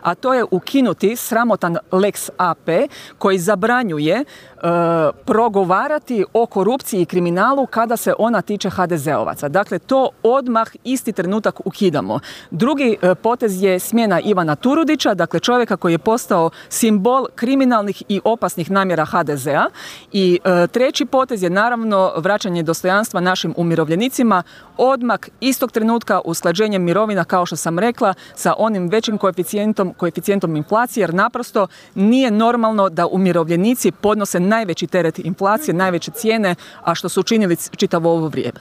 a to je ukinuti sramotan Lex AP koji zabranjuje progovarati o korupciji i kriminalu kada se ona tiče HDZ-ovaca. Dakle, to odmah isti trenutak ukidamo. Drugi potez je smjena Ivana Turudića, dakle čovjeka koji je postao simbol kriminalnih i opasnih namjera HDZ-a. I treći potez je naravno vraćanje dostojanstva našim umirovljenicima, odmah istog trenutka usklađenje mirovina, kao što sam rekla, sa onim većim koeficijentom inflacije, jer naprosto nije normalno da umirovljenici podnose najveći teret inflacije, najveće cijene, a što su učinili čitavo ovo vrijeme.